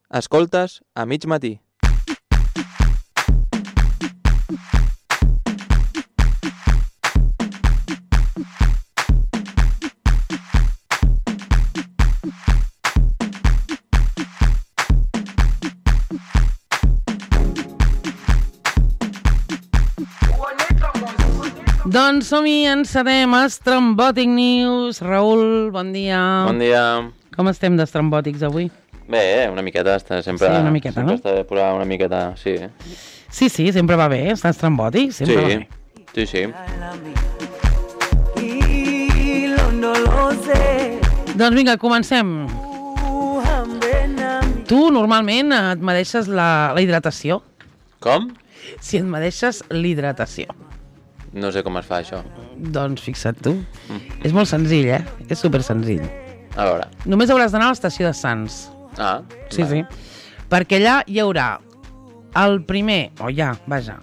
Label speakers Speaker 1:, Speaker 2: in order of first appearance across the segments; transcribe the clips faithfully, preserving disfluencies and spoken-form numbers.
Speaker 1: Escoltes a mig matí.
Speaker 2: Doncs som-hi, encetem Estrambòtic News. Raül, bon dia.
Speaker 1: Bon dia.
Speaker 2: Com estem d'estrambòtics avui?
Speaker 1: Bé, una miqueta, està sempre...
Speaker 2: Sí, una miqueta,
Speaker 1: sempre
Speaker 2: no?
Speaker 1: Està bé posar una miqueta, sí.
Speaker 2: Sí, sí, sempre va bé, estar estrambòtic, sempre va
Speaker 1: Sí,
Speaker 2: bé.
Speaker 1: sí, sí.
Speaker 2: Doncs vinga, comencem. Tu normalment et medeixes la, la hidratació.
Speaker 1: Com?
Speaker 2: Si et medeixes l'hidratació.
Speaker 1: No sé com es fa, això.
Speaker 2: Doncs fixa't tu. Mm. És molt senzill, eh? És super senzill.
Speaker 1: A veure.
Speaker 2: Només hauràs d'anar a l'estació de Sants.
Speaker 1: Ah,
Speaker 2: Sí,
Speaker 1: vale.
Speaker 2: sí. Perquè allà hi haurà el primer, o ja, vaja,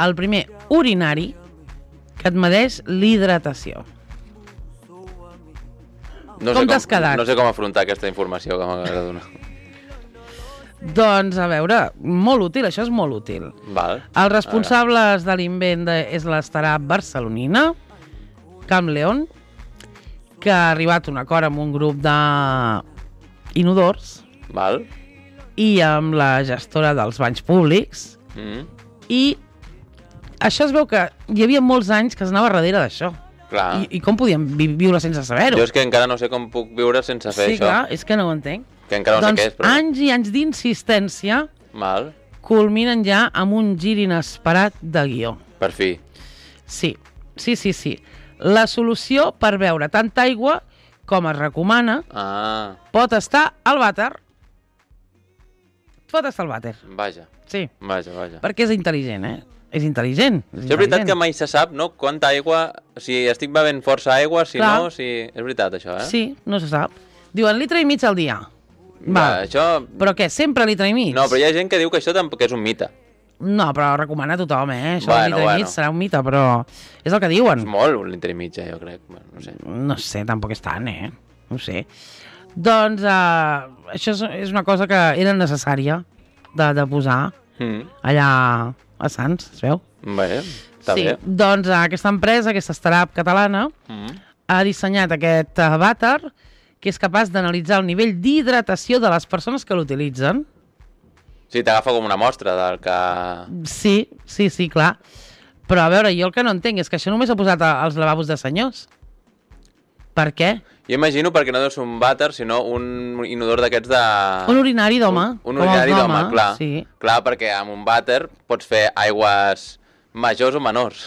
Speaker 2: el primer urinari que et medeix l'hidratació.
Speaker 1: No
Speaker 2: Com
Speaker 1: sé
Speaker 2: t'has quedat?
Speaker 1: No sé com afrontar aquesta informació que m'acabes de donar.
Speaker 2: Doncs, a veure, molt útil, això és molt útil.
Speaker 1: Val.
Speaker 2: Els responsables de l'invent de, és l'Estarà barcelonina, Camp León, que ha arribat a un acord amb un grup d'inodors
Speaker 1: Val.
Speaker 2: i amb la gestora dels banys públics.
Speaker 1: Mm.
Speaker 2: I això es veu que hi havia molts anys que es anava darrere d'això.
Speaker 1: Clar.
Speaker 2: I, I com podíem vi viure sense saber-ho?
Speaker 1: Jo és que encara no sé com puc viure sense fer
Speaker 2: Sí,
Speaker 1: això.
Speaker 2: clar, és que no ho entenc.
Speaker 1: Que encara no
Speaker 2: doncs
Speaker 1: sé què és, però...
Speaker 2: anys i anys d'insistència
Speaker 1: Val.
Speaker 2: culminen ja amb un gir inesperat de guió.
Speaker 1: Per fi.
Speaker 2: Sí, sí, sí, sí. La solució per beure tanta aigua com es recomana
Speaker 1: Ah,
Speaker 2: pot estar al vàter. Pot estar al vàter,
Speaker 1: vaja.
Speaker 2: sí.
Speaker 1: Vaja, vaja.
Speaker 2: Perquè és intel·ligent, eh? És intel·ligent. És,
Speaker 1: Això és veritat que mai se sap, no? Quanta aigua... Si estic bevent força aigua, si
Speaker 2: Clar.
Speaker 1: no... Si... És veritat, això, eh?
Speaker 2: Sí, no se sap. Diuen litre i mig al dia.
Speaker 1: Va,
Speaker 2: Va.
Speaker 1: això...
Speaker 2: Però què, sempre litre i mig?
Speaker 1: No, però hi ha gent que diu que això tampoc és un mite.
Speaker 2: No, però recomana a tothom, eh? Això
Speaker 1: Bueno,
Speaker 2: del litre
Speaker 1: bueno.
Speaker 2: i mig serà un mite, però és el que diuen.
Speaker 1: És molt, un litre i mig, eh, jo crec. Bueno, no sé.
Speaker 2: No sé, tampoc és tant, eh? No sé. Doncs uh, això és, és una cosa que era necessària de, de posar
Speaker 1: Mm.
Speaker 2: allà a Sants, es veu?
Speaker 1: Bé, està
Speaker 2: sí,
Speaker 1: bé.
Speaker 2: doncs uh, aquesta empresa, aquesta startup catalana,
Speaker 1: Mm.
Speaker 2: ha dissenyat aquest uh, vàter que és capaç d'analitzar el nivell d'hidratació de les persones que l'utilitzen.
Speaker 1: Sí, t'agafa com una mostra del que...
Speaker 2: Sí, sí, sí, clar. Però a veure, jo el que no entenc és que això només ha posat a, als lavabos de senyors. Per què?
Speaker 1: Jo imagino perquè no deu ser un vàter, sinó un inodor d'aquests de...
Speaker 2: Un urinari d'home.
Speaker 1: Un, un
Speaker 2: com els
Speaker 1: urinari d'home, clar.
Speaker 2: Sí.
Speaker 1: Clar, perquè amb un vàter pots fer aigües majors o menors.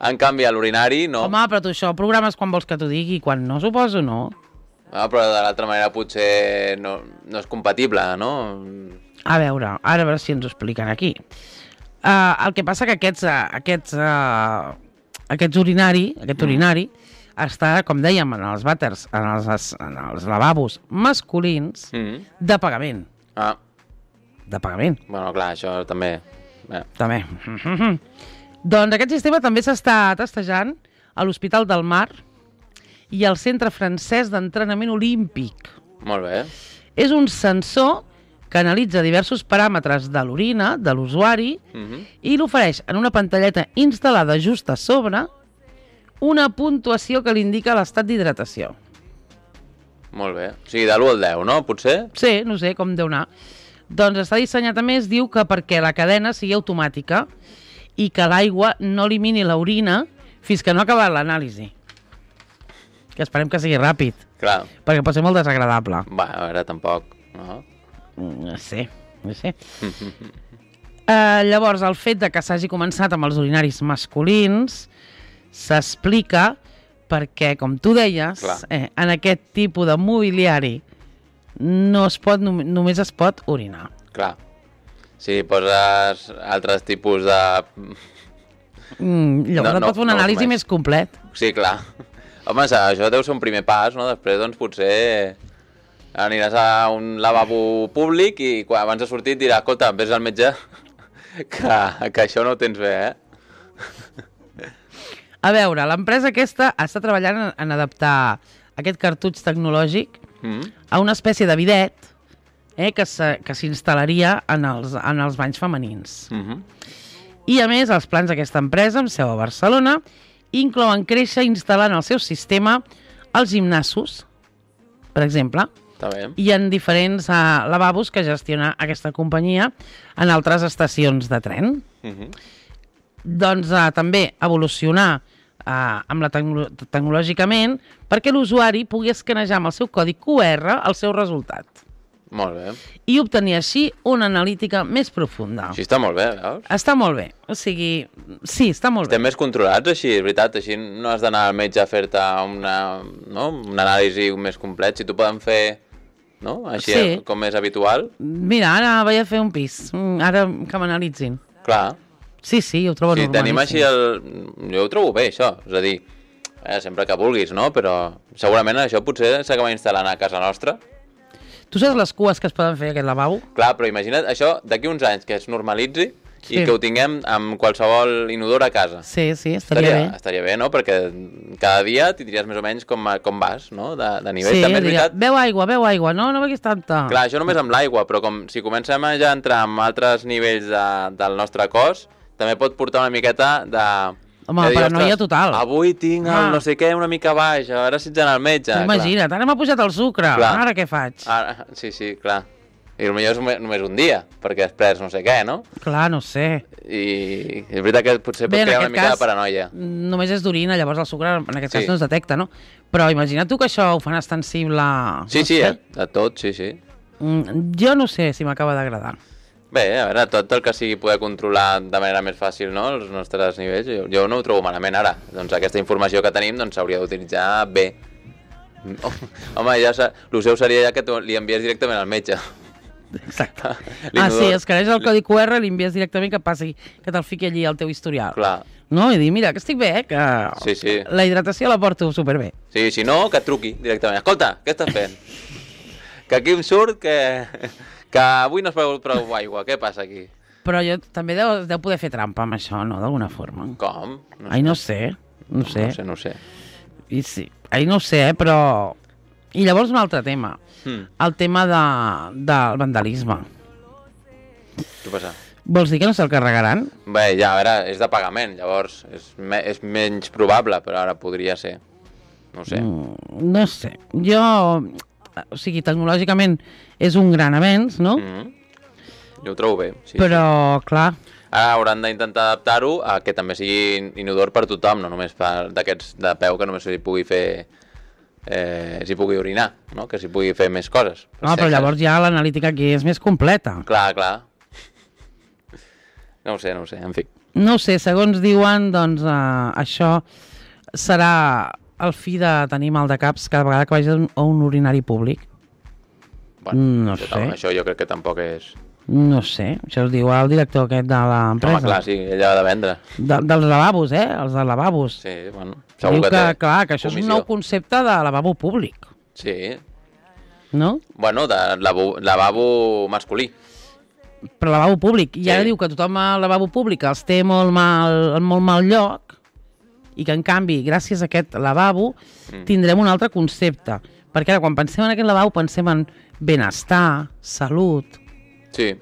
Speaker 1: En canvi, a l'urinari no.
Speaker 2: Home, però tu això programes quan vols que t'ho digui, quan no, suposo, no.
Speaker 1: Ah, però de l'altra manera potser no, no és compatible, no?
Speaker 2: A veure, ara a veure si ens ho expliquen aquí. Uh, el que passa que aquests, uh, aquests, uh, aquests urinari, aquest
Speaker 1: Mm.
Speaker 2: urinari està, com dèiem, en els vàters, en els, en els lavabos masculins,
Speaker 1: Mm.
Speaker 2: de pagament.
Speaker 1: Ah,
Speaker 2: De pagament,
Speaker 1: bueno, clar, això també... Bé.
Speaker 2: també. Doncs aquest sistema també s'està testejant a l'Hospital del Mar i al Centre Francès d'Entrenament Olímpic.
Speaker 1: Molt bé.
Speaker 2: És un sensor que analitza diversos paràmetres de l'orina, de l'usuari,
Speaker 1: Mm-hmm.
Speaker 2: i l'ofereix en una pantalleta instal·lada just a sobre una puntuació que li indica l'estat d'hidratació.
Speaker 1: Molt bé. O sigui, de l'u al deu, no? Potser?
Speaker 2: Sí, no sé com deu anar. Doncs està dissenyat a més, diu que perquè la cadena sigui automàtica i que l'aigua no elimini l'orina fins que no ha acabat l'anàlisi. Que esperem que sigui ràpid,
Speaker 1: Clar.
Speaker 2: perquè pot ser molt desagradable.
Speaker 1: Va, a veure, tampoc, no?
Speaker 2: No sé, no sé. Uh, llavors, el fet de que s'hagi començat amb els urinaris masculins s'explica perquè, com tu deies, eh, en aquest tipus de mobiliari no es pot, nom només es pot orinar.
Speaker 1: Clar. Si poses altres tipus de...
Speaker 2: Mm, llavors
Speaker 1: No,
Speaker 2: no,
Speaker 1: no,
Speaker 2: et pot fer un
Speaker 1: no,
Speaker 2: anàlisi
Speaker 1: només.
Speaker 2: més complet.
Speaker 1: Sí, clar. Home, això deu ser un primer pas, no? Després, doncs, potser aniràs a un lavabo públic i quan abans de sortir et dirà, escolta, vés al metge, que, que això no ho tens bé, eh?
Speaker 2: A veure, l'empresa aquesta està treballant en, en adaptar aquest cartutx tecnològic
Speaker 1: Mm.
Speaker 2: a una espècie de bidet eh, que s'instal·laria en els, en els banys femenins.
Speaker 1: Uh-huh.
Speaker 2: I, a més, els plans d'aquesta empresa, amb seu a Barcelona, inclouen créixer instal·lant el seu sistema als gimnasos, per exemple,
Speaker 1: Està bé.
Speaker 2: i en diferents uh, lavabos que gestiona aquesta companyia en altres estacions de tren.
Speaker 1: Uh-huh.
Speaker 2: Doncs uh, també evolucionar uh, amb la tecno tecnològicament perquè l'usuari pugui escanejar amb el seu codi Q R el seu resultat.
Speaker 1: Molt bé.
Speaker 2: I obtenir així una analítica més profunda.
Speaker 1: Així està molt bé, veus?
Speaker 2: Està molt bé. O sigui, sí, està molt
Speaker 1: Estem
Speaker 2: bé.
Speaker 1: més controlats així, és veritat. Així no has d'anar al metge a fer-te una, no? una anàlisi més complet. Si t'ho poden fer, no? Així
Speaker 2: Sí.
Speaker 1: com és habitual.
Speaker 2: Mira, ara vaig a fer un pis. Mm, Ara que m'analitzin.
Speaker 1: Clar.
Speaker 2: Sí, sí, ho trobo
Speaker 1: Si
Speaker 2: normalíssim.
Speaker 1: tenim així el... Jo ho trobo bé, això. És a dir, eh, sempre que vulguis, no? Però segurament això potser s'acaba instal·lant a casa nostra.
Speaker 2: Tu saps les cues que es poden fer a aquest lavabo?
Speaker 1: Clar, però imagina't això d'aquí uns anys que es normalitzi
Speaker 2: Sí.
Speaker 1: i que ho tinguem amb qualsevol inodor a casa.
Speaker 2: Sí, sí, estaria,
Speaker 1: Estaria,
Speaker 2: bé.
Speaker 1: estaria bé, no? Perquè cada dia tindries més o menys com, com vas, no? De, de nivell.
Speaker 2: Sí,
Speaker 1: També és
Speaker 2: diria,
Speaker 1: veritat.
Speaker 2: beu aigua, beu aigua, no, no beguis tanta.
Speaker 1: Clar, això només amb l'aigua, però com si comencem a ja entrar en altres nivells de, del nostre cos, també pot portar una miqueta de...
Speaker 2: Home,
Speaker 1: de dir,
Speaker 2: paranoia
Speaker 1: "Ostres,
Speaker 2: total."
Speaker 1: Avui tinc el
Speaker 2: Ah.
Speaker 1: no sé què una mica baix, a veure si ets anar al metge.
Speaker 2: Imagina't, ara m'ha pujat el sucre,
Speaker 1: Clar.
Speaker 2: ara què faig?
Speaker 1: Ara, sí, sí, clar. I potser és només- només un dia, perquè has pres no sé què, no?
Speaker 2: Clar, no sé.
Speaker 1: I és veritat que potser pot
Speaker 2: Bé, en
Speaker 1: crear una
Speaker 2: aquest
Speaker 1: mica
Speaker 2: cas,
Speaker 1: de paranoia.
Speaker 2: només és d'orina, llavors el sucre en aquest
Speaker 1: Sí.
Speaker 2: cas no es detecta, no? Però imagina't tu que això ho fan extensible...
Speaker 1: Sí,
Speaker 2: no
Speaker 1: sí,
Speaker 2: sé.
Speaker 1: eh? de tot, sí, sí.
Speaker 2: Mm, Jo no sé si m'acaba d'agradar.
Speaker 1: Bé, a veure, tot el que sigui poder controlar de manera més fàcil, no?, els nostres nivells, jo, jo no ho trobo malament ara. Doncs aquesta informació que tenim doncs s'hauria d'utilitzar bé. Home, ja sa... el seu seria ja que tu li envies directament al metge.
Speaker 2: Exacte. Ah,
Speaker 1: L'inodor-
Speaker 2: sí, escaneix el codi Q R, li envies directament que passi, que te'l fiqui allí al teu historial.
Speaker 1: Clar.
Speaker 2: No? I dir, mira, que estic bé, eh? que
Speaker 1: Sí, sí.
Speaker 2: la hidratació la porto superbé.
Speaker 1: Sí, si no, que et truqui directament. Escolta, què estàs fent? Que aquí em surt que... que avui no has begut prou aigua. Què passa aquí?
Speaker 2: Però jo també deu, deu poder fer trampa amb això, no? D'alguna forma.
Speaker 1: Com? No
Speaker 2: Ai, no sé, no sé.
Speaker 1: No sé, no sé.
Speaker 2: I sí, ai, no ho sé, eh, però... I llavors un altre tema,
Speaker 1: Hmm.
Speaker 2: el tema de, del vandalisme.
Speaker 1: Què passa?
Speaker 2: Vols dir que no se'l carregaran?
Speaker 1: Bé, ja, a veure, és de pagament, llavors és, me és menys probable, però ara podria ser. No ho sé.
Speaker 2: Mm, no sé. Jo... O sigui, tecnològicament és un gran avenç, no?
Speaker 1: Mm -hmm. Jo ho trobo bé, sí.
Speaker 2: Però, clar,
Speaker 1: Ara hauran d'intentar adaptar-ho a que també sigui inodor per tothom, no només per d'aquests de peu que només s'hi pugui fer... Eh, s'hi pugui orinar, no? Que s'hi pugui fer més coses.
Speaker 2: no, però llavors ja l'analítica aquí és més completa.
Speaker 1: Clar, clar. No ho sé, no ho sé, en fi.
Speaker 2: No ho sé, segons diuen, doncs eh, això serà el fi de tenir mal de caps cada vegada que vagis a un urinari públic.
Speaker 1: Bueno,
Speaker 2: No
Speaker 1: això,
Speaker 2: sé.
Speaker 1: això jo crec que tampoc és...
Speaker 2: No sé, això es diu el director aquest de l'empresa.
Speaker 1: Home, clar, sí, ella ha de vendre.
Speaker 2: De, dels lavabos, eh? Els de lavabos.
Speaker 1: Sí, bueno,
Speaker 2: Diu
Speaker 1: segur
Speaker 2: que,
Speaker 1: que, té
Speaker 2: clar, que això és un
Speaker 1: comissió.
Speaker 2: nou concepte de lavabo públic,
Speaker 1: Sí,
Speaker 2: no?
Speaker 1: bueno, de lavabo, lavabo masculí.
Speaker 2: Però lavabo públic. I
Speaker 1: Sí.
Speaker 2: ara diu que tothom al lavabo públic els té molt mal, en molt mal lloc i que, en canvi, gràcies a aquest lavabo,
Speaker 1: Mm.
Speaker 2: tindrem un altre concepte. Perquè ara, quan pensem en aquest lavabo, pensem en benestar, salut...
Speaker 1: Sí,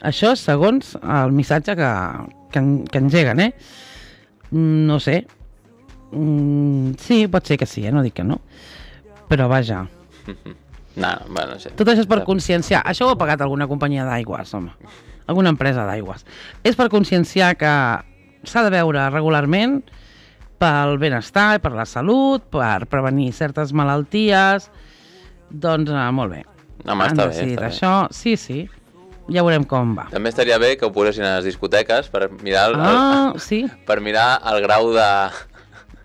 Speaker 2: Això segons el missatge que, que, en- que engeguen, eh? Mm, No sé. Mm, sí, pot ser que sí, eh? No dic que no. Però vaja.
Speaker 1: no, bueno, no sé.
Speaker 2: Tot això és per conscienciar. Això ho ha pagat alguna companyia d'aigües, home. Alguna empresa d'aigües. És per conscienciar que s'ha de beure regularment pel benestar, per la salut, per prevenir certes malalties. Doncs, eh, molt bé.
Speaker 1: Home,
Speaker 2: Han
Speaker 1: està bé,
Speaker 2: decidit
Speaker 1: està bé.
Speaker 2: això. Sí, sí. Ja veurem com va.
Speaker 1: També estaria bé que ho posessin a les discoteques per mirar el,
Speaker 2: Ah, sí.
Speaker 1: el, per mirar el grau de...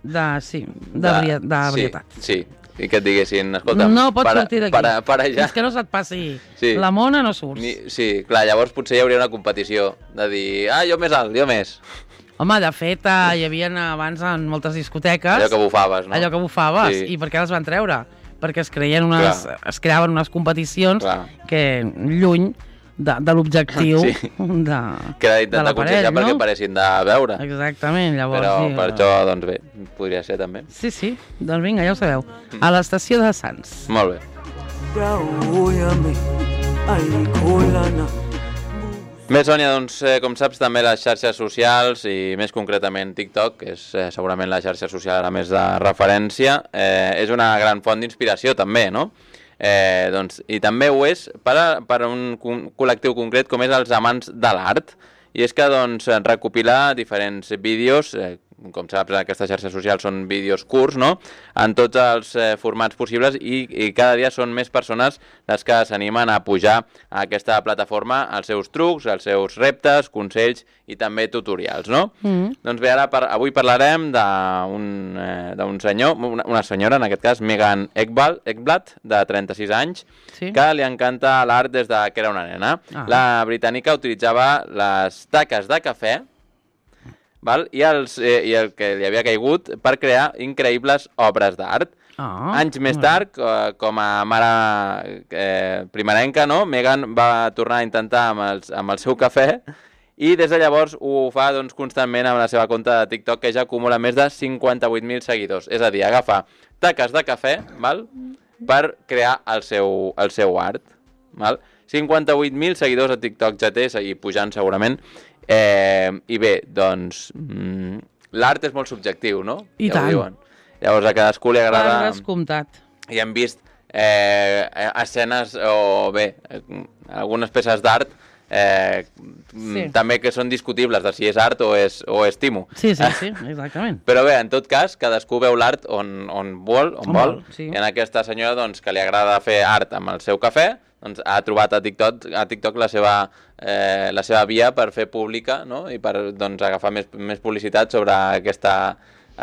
Speaker 2: De, sí, de, bria, de varietat.
Speaker 1: Sí, sí, i que et diguessin, escolta,
Speaker 2: No pots
Speaker 1: para,
Speaker 2: sortir d'aquí.
Speaker 1: para, para ja.
Speaker 2: Fins que no se't passi
Speaker 1: Sí.
Speaker 2: la mona, no surts.
Speaker 1: Ni, sí, clar, llavors potser hi hauria una competició de dir, ah, jo més alt, jo més.
Speaker 2: Home, de fet, eh, hi havia abans en moltes discoteques...
Speaker 1: Allò que bufaves, no?
Speaker 2: Allò que bufaves.
Speaker 1: Sí.
Speaker 2: I per què les van treure? Perquè es creien unes,
Speaker 1: Clar.
Speaker 2: es creaven unes competicions
Speaker 1: Clar.
Speaker 2: que lluny de, de l'objectiu
Speaker 1: Sí.
Speaker 2: de,
Speaker 1: Que era
Speaker 2: de
Speaker 1: d'intentar
Speaker 2: l'aparell,
Speaker 1: conscienciar perquè
Speaker 2: no?
Speaker 1: paressin de veure.
Speaker 2: Exactament, llavors...
Speaker 1: Però
Speaker 2: sí,
Speaker 1: per
Speaker 2: eh,
Speaker 1: això, doncs bé, podria ser també.
Speaker 2: Sí, sí, doncs vinga, ja ho sabeu. A l'estació de Sants.
Speaker 1: Molt bé.
Speaker 3: Brown,
Speaker 1: Bé, Sònia, doncs, eh, com saps, també les xarxes socials i més concretament TikTok, que és eh, segurament la xarxa social ara més de referència, eh, és una gran font d'inspiració també, no? Eh, doncs, i també ho és per, a, per a un col·lectiu concret com és els amants de l'art, i és que doncs, recopilar diferents vídeos, eh, com saps, aquestes xarxes socials són vídeos curts, no?, en tots els eh, formats possibles i, i cada dia són més persones les que s'animen a pujar a aquesta plataforma els seus trucs, els seus reptes, consells i també tutorials, no? Mm-hmm. Doncs bé, ara per, avui parlarem d'un eh, senyor, una, una senyora, en aquest cas, Megan Ekblad, de trenta-sis anys, sí? Que li encanta l'art des de que era una nena. Ah. La britànica utilitzava les taques de cafè, val? I, els, eh, i el que li havia caigut per crear increïbles obres d'art. Oh, Anys més tard, eh, com a mare eh, primerenca, no? Megan va tornar a intentar amb, els, amb el seu cafè i des de llavors ho fa doncs, constantment amb la seva compte de TikTok, que ja acumula més de cinquanta-vuit mil seguidors. És a dir, agafa taques de cafè, val? Per crear el seu, el seu art. Val? cinquanta-vuit mil seguidors a TikTok ja té, i pujant segurament. Eh, I bé, doncs, mm, l'art és molt subjectiu, no?
Speaker 2: I ja tant.
Speaker 1: Llavors a cadascú li agrada...
Speaker 2: Per descomptat.
Speaker 1: I hem vist eh, escenes o bé, algunes peces d'art eh, sí. també que són discutibles de si és art o és, o és timo.
Speaker 2: Sí, sí, sí, exactament.
Speaker 1: Però bé, en tot cas, cadascú veu l'art on, on vol, on, on vol. vol sí. I en aquesta senyora, doncs, que li agrada fer art amb el seu cafè, doncs ha trobat a TikTok, a TikTok la, seva, eh, la seva via per fer pública, no? I per doncs, agafar més, més publicitat sobre aquesta,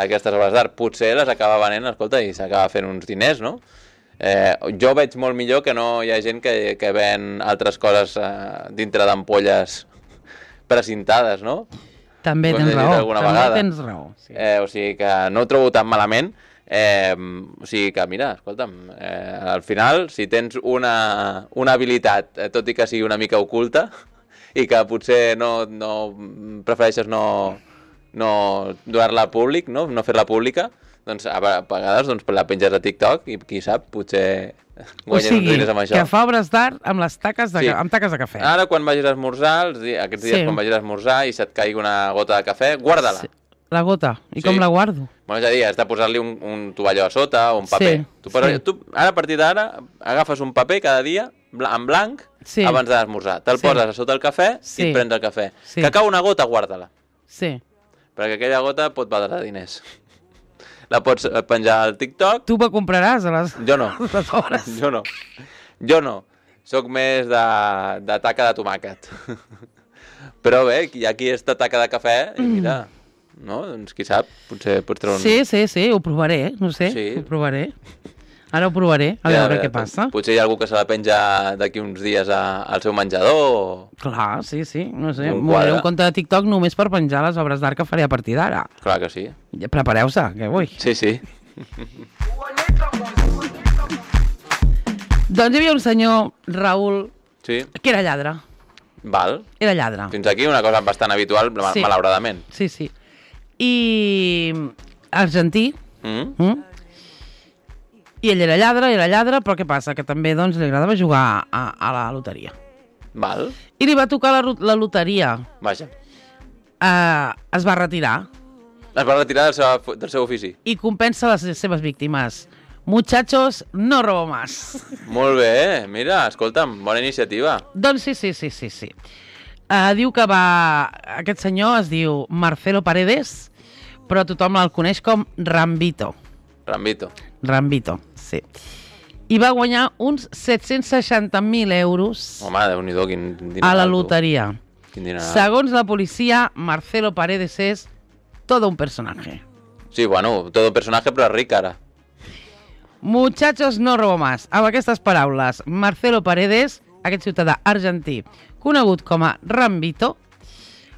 Speaker 1: aquestes obres d'art. Potser les acaba venent, escolta, i s'acaba fent uns diners, no? Eh, jo veig molt millor que no hi ha gent que, que ven altres coses eh, dintre d'ampolles precintades, no?
Speaker 2: També tens raó, també vegada. tens raó. Sí.
Speaker 1: Eh, o sigui que no ho trobo tan malament. Eh, o sigui que, mira, escolta'm, eh, al final, si tens una, una habilitat, eh, tot i que sigui una mica oculta, i que potser no, no prefereixes no, no donar-la a públic, no, no fer-la pública, doncs a vegades doncs, la penges a TikTok i qui sap, potser guanyes uns diners amb això.
Speaker 2: O sigui, que fa obres d'art amb les taques de, sí. amb taques de cafè.
Speaker 1: Ara, quan vagis a esmorzar, els dies, aquests dies sí. quan vagis a esmorzar i se't caigui una gota de cafè, guarda-la. Sí.
Speaker 2: La gota? I sí. com la guardo?
Speaker 1: Bueno, és a dir, has de posar-li un, un tovalló a sota o un paper. Sí, tu, però, sí. tu, ara, a partir d'ara, agafes un paper cada dia, en blanc, sí. abans d'esmorzar. Te'l sí. poses a sota el cafè sí. i et prens el cafè. Sí. Que cau una gota, guarda-la.
Speaker 2: Sí.
Speaker 1: Perquè aquella gota pot valdre diners. La pots penjar al TikTok.
Speaker 2: Tu me compraràs a les,
Speaker 1: jo no.
Speaker 2: les hores.
Speaker 1: Jo no. Jo no. Soc més de, de taca de tomàquet. Però bé, hi ha qui és de taca de cafè i mira... No? Doncs qui sap, potser pots treure un...
Speaker 2: Sí, sí, sí, ho provaré, no sé, sí. ho provaré. Ara ho provaré, a ja, veure ja, què passa.
Speaker 1: Potser hi ha algú que se la penja d'aquí uns dies a, al seu menjador o...
Speaker 2: Clar, sí, sí, no sé. M'obriré un compte de TikTok només per penjar les obres d'art que faré a partir d'ara.
Speaker 1: Clar que sí.
Speaker 2: Ja prepareu-se, que vull.
Speaker 1: Sí, sí.
Speaker 2: Doncs hi havia un senyor, Raül,
Speaker 1: sí.
Speaker 2: que era lladre.
Speaker 1: Val.
Speaker 2: Era lladre.
Speaker 1: Fins aquí una cosa bastant habitual, sí. malauradament.
Speaker 2: Sí, sí. I argentí mm. Mm? I ell era lladre, era lladre, però què passa? Que també doncs, li agradava jugar a, a la loteria.
Speaker 1: Val.
Speaker 2: I li va tocar la, la loteria.
Speaker 1: Vaja.
Speaker 2: Uh, es va retirar.
Speaker 1: Es va retirar del seu, del seu ofici.
Speaker 2: I compensa les seves víctimes. Muchachos, no robo más.
Speaker 1: Molt bé, mira, escolta'm, bona iniciativa.
Speaker 2: Doncs sí, sí, sí, sí, sí. Uh, diu que va... Aquest senyor es diu Marcelo Paredes, però tothom el coneix com Rambito.
Speaker 1: Rambito.
Speaker 2: Rambito, sí. I va guanyar uns set-cents seixanta mil euros
Speaker 1: Home, Déu-n'hi-do, quin dineral,
Speaker 2: a la loteria.
Speaker 1: Quin dineral.
Speaker 2: Segons la policia, Marcelo Paredes és todo un personaje.
Speaker 1: Sí, bueno, todo un personaje, però és ric ara.
Speaker 2: Muchachos, no robo más. Amb aquestes paraules, Marcelo Paredes, aquest ciutadà argentí, conegut com a Rambito,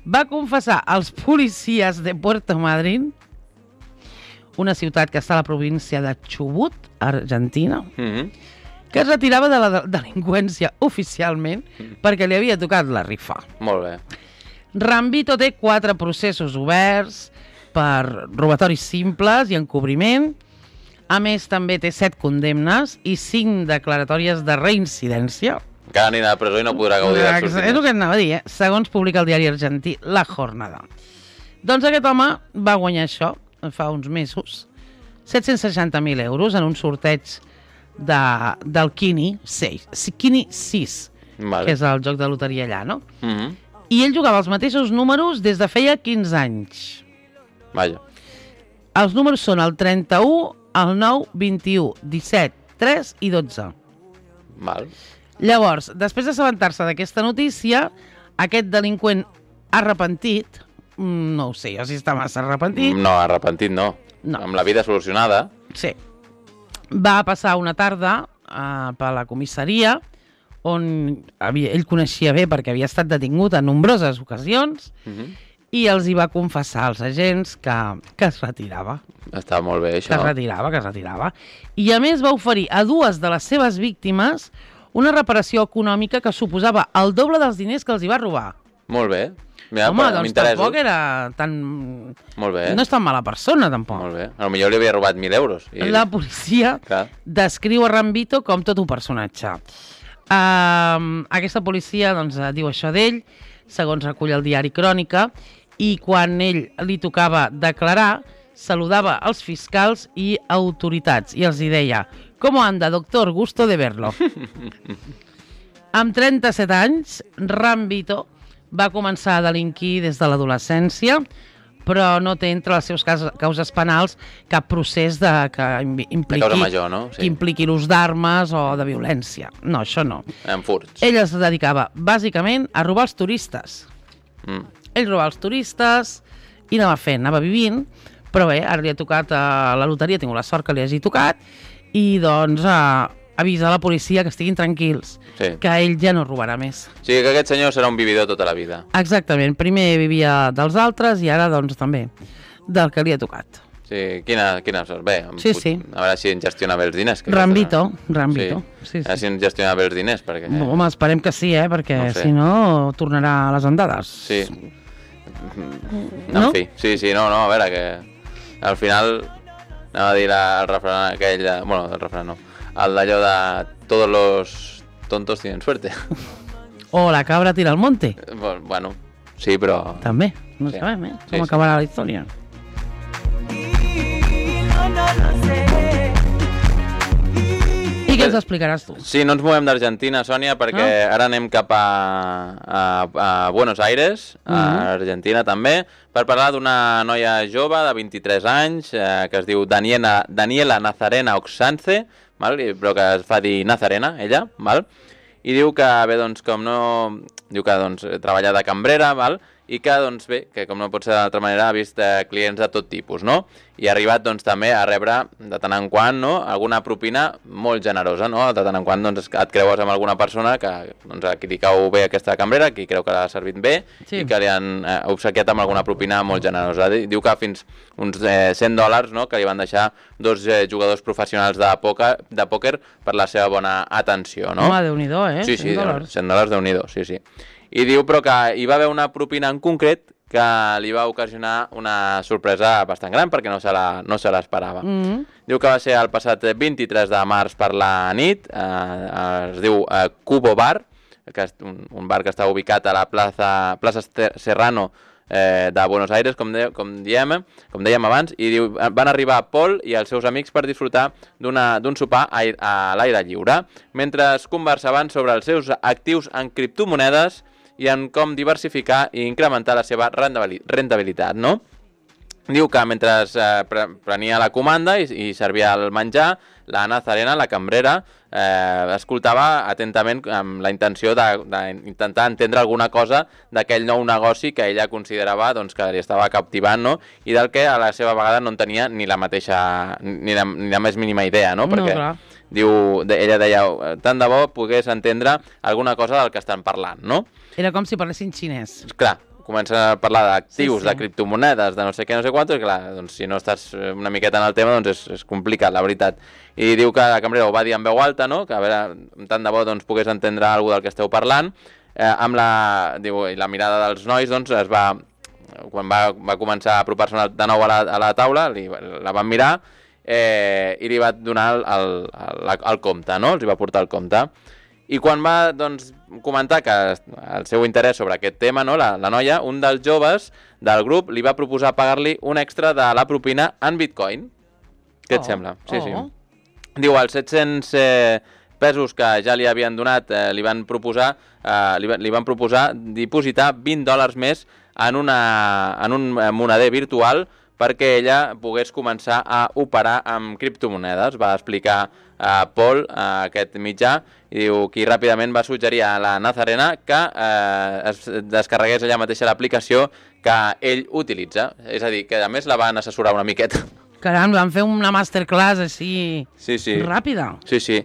Speaker 2: va confessar als policies de Puerto Madryn, una ciutat que està a la província de Chubut, Argentina, mm-hmm. que es retirava de la delinqüència oficialment mm. perquè li havia tocat la rifa.
Speaker 1: Molt bé.
Speaker 2: Rambito té quatre processos oberts per robatoris simples i encobriment. A més, també té set condemnes i cinc declaratòries de reincidència.
Speaker 1: Encara anirà a la presó i no podrà gaudir dels seus diners.
Speaker 2: És el que anava a dir, eh? Segons publica el diari argentí La Jornada. Doncs aquest home va guanyar això, fa uns mesos, set-cents seixanta mil euros en un sorteig de, del Kini sis, Kini sis, vale. Que és el joc de loteria allà, no? Mm-hmm. I ell jugava els mateixos números des de feia quinze anys.
Speaker 1: Vaja.
Speaker 2: Els números són el trenta-u, el nou, vint-i-u, disset, tres i dotze.
Speaker 1: Val.
Speaker 2: Llavors, després d'assabentar-se d'aquesta notícia, aquest delinqüent arrepentit, no ho sé, jo si està massa arrepentit...
Speaker 1: No, arrepentit no. no. Amb la vida solucionada.
Speaker 2: Sí. Va passar una tarda uh, per la comissaria, on havia, ell coneixia bé perquè havia estat detingut en nombroses ocasions, uh-huh. i els hi va confessar als agents que, que es retirava.
Speaker 1: Està molt bé, això.
Speaker 2: Que es retirava, que es retirava. I a més va oferir a dues de les seves víctimes una reparació econòmica que suposava el doble dels diners que els hi va robar.
Speaker 1: Molt bé. Mira,
Speaker 2: home, doncs tampoc era tan...
Speaker 1: Molt bé.
Speaker 2: No és tan mala persona, tampoc.
Speaker 1: Molt bé. A lo millor li havia robat mil euros.
Speaker 2: I... La policia Clar. descriu a Rambito com tot un personatge. Uh, aquesta policia doncs, diu això d'ell, segons recull el diari Crònica, i quan ell li tocava declarar, saludava els fiscals i autoritats i els hi deia: «¿Cómo anda, doctor? Gusto de verlo». Amb trenta-set anys, Rambito va començar a delinquir des de l'adolescència, però no té entre les seves causes penals cap procés de, que impliqui,
Speaker 1: de causa major, no? Sí.
Speaker 2: que impliqui l'ús d'armes o de violència. No, això no.
Speaker 1: En furts.
Speaker 2: Ell es dedicava bàsicament a robar els turistes. Mm. Ell robava els turistes i anava fent, anava vivint, però bé, ara li ha tocat a la loteria, ha tingut la sort que li hagi tocat, i doncs a, avisa a la policia que estiguin tranquils, sí. que ell ja no robarà més.
Speaker 1: O sigui que aquest senyor serà un vividor tota la vida.
Speaker 2: Exactament, primer vivia dels altres i ara doncs també del que li ha tocat.
Speaker 1: Sí, quina, quina sort. Bé,
Speaker 2: sí,
Speaker 1: pot,
Speaker 2: sí.
Speaker 1: a veure si en gestiona bé els diners. Que
Speaker 2: Rambito, Rambito.
Speaker 1: Sí.
Speaker 2: Sí, sí.
Speaker 1: A veure si en gestiona bé els diners. Perquè...
Speaker 2: No, home, esperem que sí, eh? Perquè no sé. Si no tornarà a les andades.
Speaker 1: Sí. No? En fi, sí, sí, no, no, a veure, que al final anava a dir la, el refrán aquell, bueno, el refrán no, el d'allò de todos los tontos tienen suerte.
Speaker 2: O la cabra tira al monte.
Speaker 1: Bueno, sí, però...
Speaker 2: També, no sí. sabem, eh? Com sí, acabarà sí. la història. No, no, no sé. I què ens explicaràs tu?
Speaker 1: Sí, no ens movem d'Argentina, Sònia, perquè no? ara anem cap a, a, a Buenos Aires, a uh-huh. Argentina també, per parlar d'una noia jove de vint-i-tres anys, eh, que es diu Daniela, Daniela Nazarena Oxance, val? Però que es fa dir Nazarena, ella, val? I diu que, bé, doncs, com no... Diu que, doncs, treballa de cambrera, val? I que, doncs, bé, que com no pot ser d'altra manera, ha vist eh, clients de tot tipus, no? I ha arribat, doncs, també a rebre, de tant en quant, no?, alguna propina molt generosa, no? De tant en quant, doncs, et creues amb alguna persona que, doncs, a qui li cau bé aquesta cambrera, qui creu que l'ha servit bé, sí. i que li han eh, obsequiat amb alguna propina molt generosa. Diu que fins uns eh, cent dòlars, no?, que li van deixar dos eh, jugadors professionals de pòquer, de pòquer per la seva bona atenció, no?
Speaker 2: Home, Déu-n'hi-do, eh?
Speaker 1: Sí, sí, cent dòlars, Déu-n'hi-do, sí, sí. I diu, però que hi va haver una propina en concret que li va ocasionar una sorpresa bastant gran perquè no se la, no se l'esperava. Mm-hmm. Diu que va ser el passat vint-i-tres de març per la nit, eh, es diu eh, Cubo Bar, que és un, un bar que està ubicat a la plaça, plaça Serrano eh, de Buenos Aires, com, de, com, diem, com dèiem abans, i diu, van arribar Paul i els seus amics per disfrutar d'un sopar a, a l'aire lliure, mentre es conversaven sobre els seus actius en criptomonedes i en com diversificar i incrementar la seva rentabilitat, no? Diu que mentre eh, prenia la comanda i, i servia el menjar, la Nazarena, la cambrera, eh, escoltava atentament amb la intenció d'intentar entendre alguna cosa d'aquell nou negoci que ella considerava doncs, que li estava captivant, no? I del que a la seva vegada no en tenia ni la mateixa, ni la, ni la més mínima idea, no? Perquè
Speaker 2: no,
Speaker 1: diu, ella deia, tant de bo pogués entendre alguna cosa del que estan parlant, no?
Speaker 2: Era com si parlessin xinès.
Speaker 1: Clar, comença a parlar d'actius, sí, sí. de criptomonedes, de no sé què, no sé quant, i clar, doncs, si no estàs una miqueta en el tema, doncs és, és complicat, la veritat. I diu que la cambrera ho va dir en veu alta, no? Que a veure, tant de bo doncs, pogués entendre alguna del que esteu parlant. Eh, amb la, diu, i la mirada dels nois, doncs, es va, quan va, va començar a apropar-se de nou a la, a la taula, li, la van mirar eh, i li va donar el, el, el, el compte, no? Els hi va portar el compte. I quan va doncs, comentar que el seu interès sobre aquest tema, no, la, la noia, un dels joves del grup li va proposar pagar-li un extra de la propina en bitcoin. Què et
Speaker 2: Oh,
Speaker 1: sembla? Sí,
Speaker 2: oh.
Speaker 1: sí. Diu, els set-cents eh, pesos que ja li havien donat eh, li, van proposar, eh, li, li van proposar dipositar vint dòlars més en, una, en un moneder virtual perquè ella pogués començar a operar amb criptomonedes. Va explicar a Paul, a aquest mitjà, i diu que ràpidament va suggerir a la Nazarena que eh, es descarregués ella mateixa l'aplicació que ell utilitza. És a dir, que a més la van assessorar una miqueta.
Speaker 2: Caram, van fer una masterclass així
Speaker 1: Sí, sí.
Speaker 2: ràpida.
Speaker 1: Sí, sí.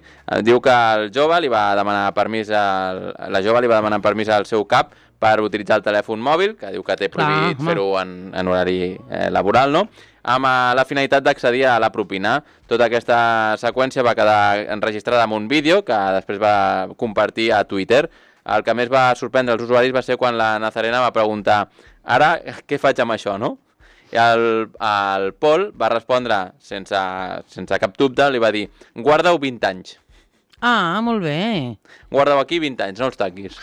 Speaker 1: Diu que el jove li va demanar permís al... la jove li va demanar permís al seu cap per utilitzar el telèfon mòbil, que diu que té prohibit fer-ho en, en horari eh, laboral, no? Amb eh, la finalitat d'accedir a la propina. Tota aquesta seqüència va quedar enregistrada en un vídeo que després va compartir a Twitter. El que més va sorprendre els usuaris va ser quan la Nazarena va preguntar «Ara, què faig amb això, no?» I el, el Paul va respondre sense, sense cap dubte, li va dir «Guarda-ho vint anys».
Speaker 2: Ah, molt bé.
Speaker 1: Guarda-ho aquí vint anys, no els taquis.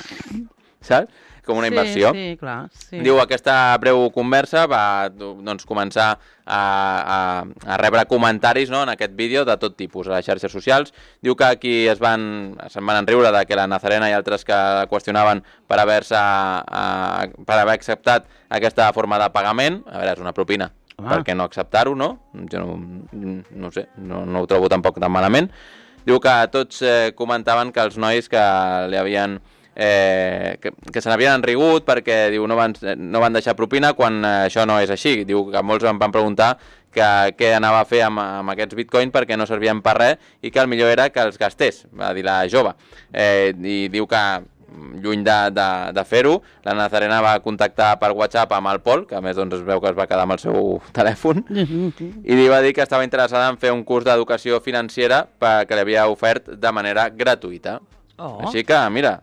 Speaker 1: Saps? Com una inversió.
Speaker 2: Sí, sí, clar. Sí.
Speaker 1: Diu, aquesta breu conversa va doncs, començar a, a, a rebre comentaris, no, en aquest vídeo de tot tipus a les xarxes socials. Diu que aquí es van, se'n van enriure de que la Nazarena i altres que la qüestionaven per haver-se per haver acceptat aquesta forma de pagament. A veure, és una propina. Home. Per què no acceptar-ho, no? Jo no, no sé, no, no ho trobo tampoc tan malament. Diu que tots eh, comentaven que els nois que li havien... Eh, que, que se n'havien enrigut perquè diu, no, van, no van deixar propina quan eh, això no és així. Diu que molts em van preguntar que, què anava a fer amb, amb aquests bitcoins perquè no servien per res i que el millor era que els gastés, va dir la jove. Eh, I diu que lluny de, de, de fer-ho, la Nazarena va contactar per WhatsApp amb el Paul, que a més doncs, es veu que es va quedar amb el seu telèfon, i li va dir que estava interessada en fer un curs d'educació financera que li havia ofert de manera gratuïta. Oh. Així que, mira,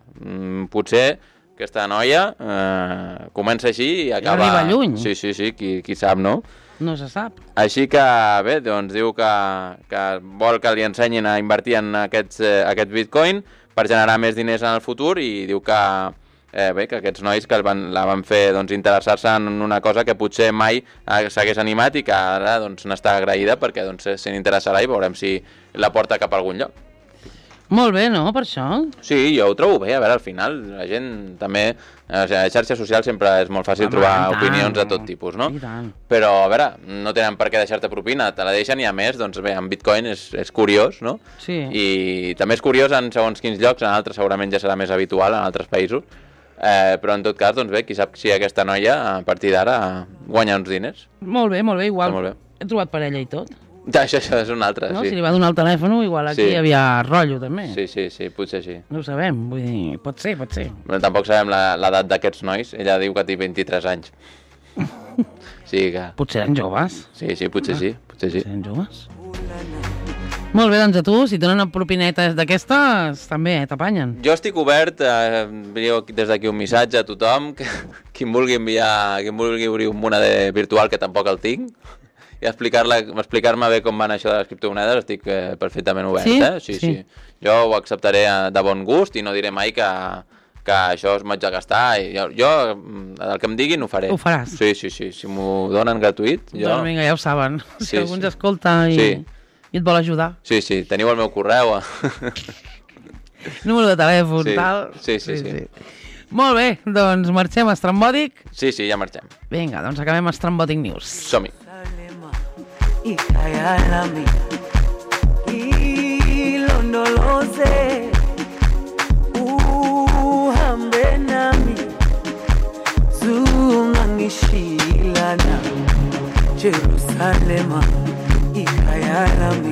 Speaker 1: potser aquesta noia eh, comença així i acaba...
Speaker 2: I arriba lluny.
Speaker 1: Sí, sí, sí, qui, qui sap, no?
Speaker 2: No se sap.
Speaker 1: Així que, bé, doncs diu que, que vol que li ensenyin a invertir en aquests, eh, aquest bitcoin per generar més diners en el futur i diu que, eh, bé, que aquests nois que van, la van fer doncs, interessar-se en una cosa que potser mai eh, s'hagués animat i que ara doncs, n'està agraïda perquè doncs, se n'interessarà i veurem si la porta cap a algun lloc.
Speaker 2: Molt bé, no, per això?
Speaker 1: Sí, jo ho trobo bé. A veure, al final, la gent també... A les xarxes socials sempre és molt fàcil Home, trobar tant, opinions de tot tipus, no? Però, a veure, no tenen per què deixar-te propina, te la deixen i, a més, doncs bé, en Bitcoin és, és curiós, no?
Speaker 2: Sí.
Speaker 1: I també és curiós en segons quins llocs, en altres segurament ja serà més habitual, en altres països. Eh, però, en tot cas, doncs bé, qui sap si aquesta noia, a partir d'ara, guanya uns diners.
Speaker 2: Molt bé, molt bé, igual.
Speaker 1: Molt bé.
Speaker 2: He trobat parella i tot.
Speaker 1: Ja, això, això és un altre,
Speaker 2: no?
Speaker 1: sí.
Speaker 2: Si li va donar el telèfon, igual aquí
Speaker 1: sí.
Speaker 2: hi havia rotllo, també.
Speaker 1: Sí, sí, sí, potser sí.
Speaker 2: No ho sabem, vull dir, pot ser, pot ser.
Speaker 1: Però tampoc sabem l'edat d'aquests nois. Ella diu que té vint-i-tres anys. Sí, que...
Speaker 2: Potser eren joves.
Speaker 1: Sí, sí, potser ah, sí, potser sí.
Speaker 2: Potser eren joves. Molt bé, doncs a tu, si donen propinetes d'aquestes, també eh, t'apanyen.
Speaker 1: Jo estic obert, eh, envio des d'aquí un missatge a tothom, que qui em vulgui enviar, qui em vulgui obrir un moneder virtual, que tampoc el tinc, i explicar-me explicar bé com van això de les criptomonedes, estic eh, perfectament obert.
Speaker 2: Sí?
Speaker 1: Eh? Sí, sí, sí. Jo ho acceptaré de bon gust i no diré mai que, que això es m'haig de gastar. I jo, jo, el que em diguin, ho faré.
Speaker 2: Ho faràs?
Speaker 1: Sí, sí, sí. Si m'ho donen gratuït, jo...
Speaker 2: Doncs vinga, ja ho saben.
Speaker 1: Sí,
Speaker 2: si algú ens
Speaker 1: sí.
Speaker 2: escolta i,
Speaker 1: sí.
Speaker 2: i et vol ajudar.
Speaker 1: Sí, sí. Teniu el meu correu.
Speaker 2: Número de telèfon,
Speaker 1: sí.
Speaker 2: tal.
Speaker 1: Sí, sí, sí. sí.
Speaker 2: sí. Molt bé, doncs marxem a Estrambòtic.
Speaker 1: Sí, sí, ja marxem.
Speaker 2: Vinga, doncs acabem a Estrambòtic News.
Speaker 1: Som-hi.
Speaker 3: Ikayalami ilondoloze uhambe nami zungangishilana Jerusalema ikayalami